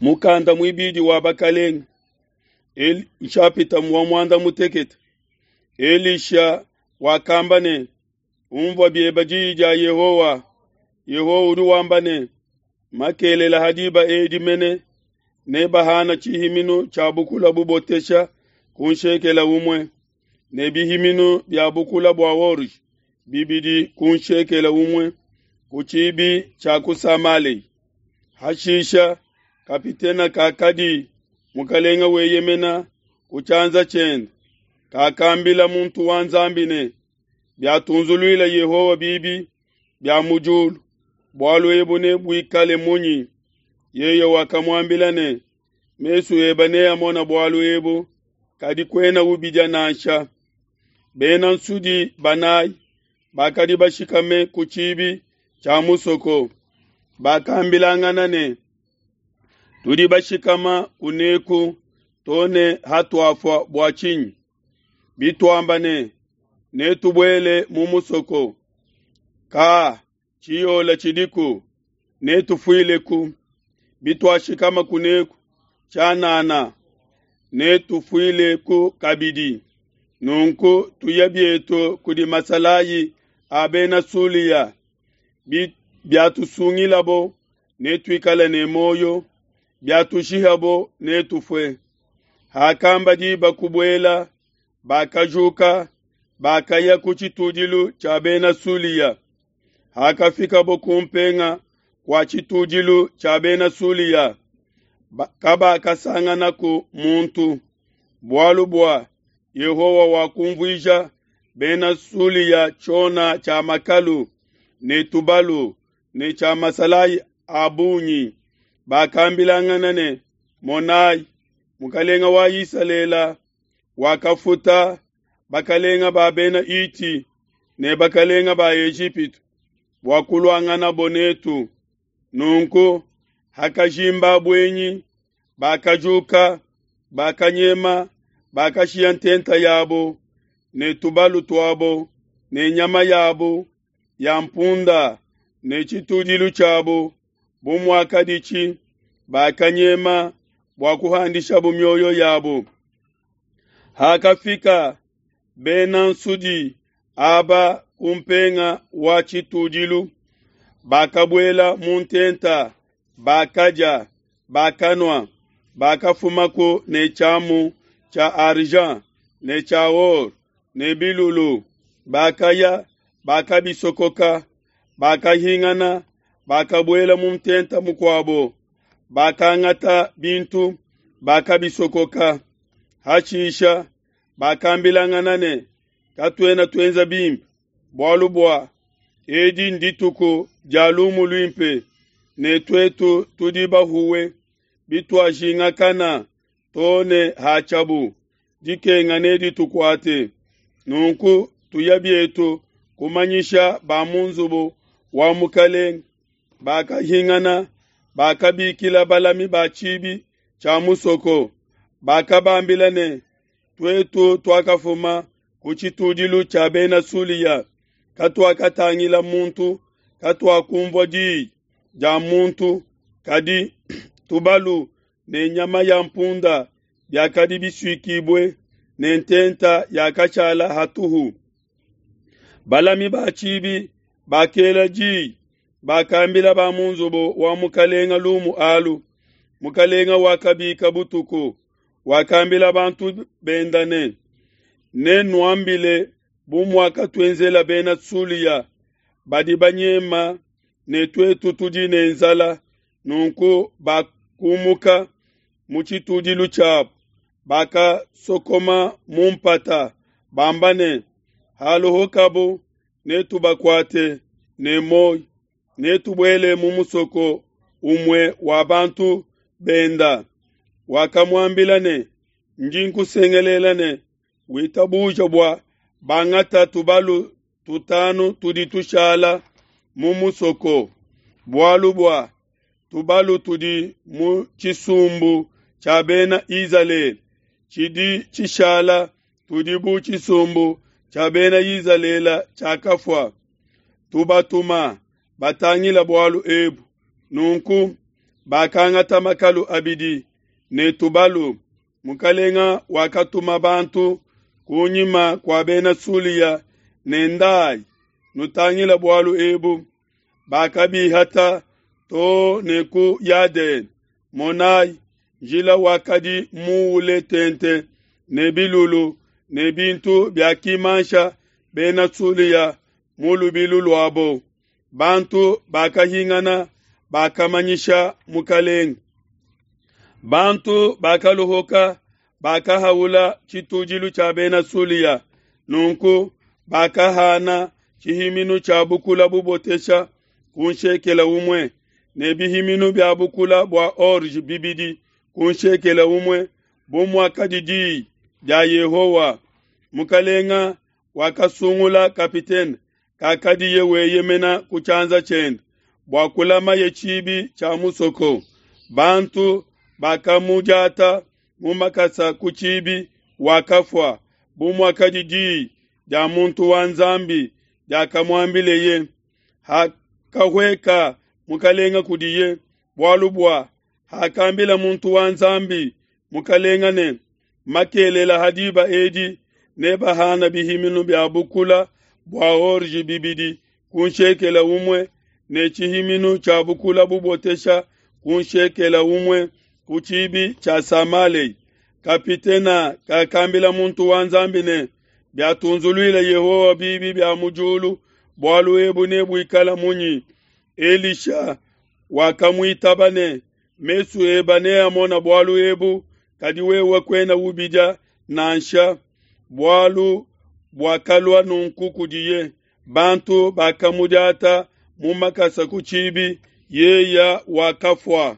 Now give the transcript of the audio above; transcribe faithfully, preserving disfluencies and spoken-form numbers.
Mukanda muibidi wa Bakelenge, nshapita wa muanda mutekete. Elisha wakamba ne, Unvua biebe diyi dia Yehowa. Yehowa udi wamba ne, makelela ha diba edi mene nebahana tshihiminu tshia bukula bubotesha ku nshekela umue, ne bihiminu bia bukula bua orge bibidi ku nshekela umue ku tshibi tshia ku Samalea. Hashisha kapitene kakadi mukelenge weyemena ku tshianza tshiende kakambila muntu wa Nzambi ne, biatunzuluila Yehowa bibi bia mu diulu, bualu ebu nebuikale munyi? Yeye wakamuambila ne, mesu ebe neamone bualu ebu, kadi kuena ubidia nansha. Bena nsudi banayi bakadi bashikame ku tshibi tshia musoko, bakambilangana ne, tudi bashikama kuneku to ne hatuafua bua tshinyi? Bituamba ne, netubuele mu musoko, ka tshiyola tshidiku, netufuileku. Bituashikama kuneku tshianana, netufuileku kabidi. Nunku tuya bietu kudi masalayi a Bena Sulia, biatusungilabo netuikale ne muoyo, biatushihabo netufue. Hakamba diba kubuela, bakajuka, bakaya ku tshitudilu tshia Bena Sulia. Hakafikabo ku mpenga kua tshitudilu tshia Bena Sulia, kabakasanganaku muntu, bualu bua Yehowa wakumvuija Bena Sulia tshiona tshia makalu ne tubalu ne tshia masalayi a bungi. Bakambilangana ne, monai, mukelenge wa Isalele wakafuta bakalenga ba Bena Hiti ne bakalenga ba Ejipitu bua kuluanganabo netu. Nunku hakajimba buenyi, bakajuka, bakanyema, bakashiya ntenta yabo ne tubalu tuabo ne nyama yabo ya mpunda ne tshitudilu tshiabo bu muakaditshi, bakanyema bua kuhandishabo mioyo yabo. Hakafika bena nsudi aba ku mpenga wa tshitudilu, bakabuela mu ntenta, bakadia, bakanua, bakafumaku ne tshiamu tshia argent ne tshia or ne bilulu, bakaya, bakabisokoka, bakahingana, bakabuela mu ntenta mukuabo, bakangata bintu, bakabisokoka. Hashisha bakambilangana ne, katuena tuenza bimpe, bualu bua edi ndituku dia lumu luimpe, ne tuetu tudi bahuwe. Bituajingakana to ne hatshiabu, dikenga neditukuate. Nunku tuya bietu kumanyisha ba mu nzubu wa mukelenge. Bakahingana, bakabikila balami ba tshibi tshia musoko, bakabambila ne, tuetu tuakafuma ku tshitudilu tshia Bena Sulia, katuakatangila muntu, katuakunvua diyi dia muntu, kadi tubalu ne nyama ya mpunda biakadi bisuikibue ne ntenta yakashala hatuhu. Balami ba tshibi bakela diyi, bakambila ba mu nzubu wa mukelenge lumu alu. Mukelenge wakabika butuku, wakambila bantu benda ne, nenuambile bu muakatuenzela Bena Sulia, badi banyema ne tuetu tudi ne nzala. Nunku bakumuka mu tshitudilu tshiabo, bakasokoma mu mpata, bamba ne, haluhukabo netubakuate ne muoyo, netubuele mu musoko umue wa bantu benda. Wakamuambila ne, ndi nkusengelela ne, witabuja bua bangata tubalu tutanu tudi tushala mu musoko, bualu bua tubalu tudi mu tshisumbu tshia Bena Izalele, tshidi tshishala tudi bu tshisumbu tshia Bena Izalele tshiakafua. Tubatuma batangila bualu ebu. Nunku Bakangata makalu abidi ne tubalu. Mukalenga wakatuma bantu kunyima kua bena Sulia ne ndayi nutangila bualu ebu. Bakabihata too ne ku Yadene. Monayi, njila wakadi muule tente ne bilulu ne bintu biakimansha bena Sulia mu lubilu luabo. Bantu bakahingana bakamanyisha mukalenge. Bantu bakaluhuka bakahaula tshitudilu tshia bena Sulia. Nunku bakahana tshihiminu tshia bukula bubotesha ku nshekela umue ne bihiminu bia bukula bua orge bibidi ku nshekela umue bu muakadi diyi dia Yehowa. Mukalenga wakasungula kapitene kakadiye weyemena ku tshianza tshiende bua kulamaye tshibi tshia musoko. Bantu bakamudiata mu makasa ku tshibi wakafua bu muakadi diyi dia muntu wa Nzambi diakamuambileye. Hakahueka mukalenga kudiye, bualu bua hakambila muntu wa Nzambi mukalenga ne, makelela ha diba edi nebahana bihiminu bia bukula bua orge bibidi ku nshekela umue ne tshihiminu tshia bukula bubotesha ku nshekela umue ku tshibi tshia Samalei. Kapitena kakambila muntu wa Nzambi ne, biatunzuluila Yehowa bibi bia mu diulu, bualu ebu nebuikala munyi? Elisha wakamuitaba ne, mesu eba neamona bualu ebu, kadi wewe kuena ubidia nansha. Bualu buakalua nunku kudiye, bantu bakamudiata mu makasa ku tshibi, yeya wakafua.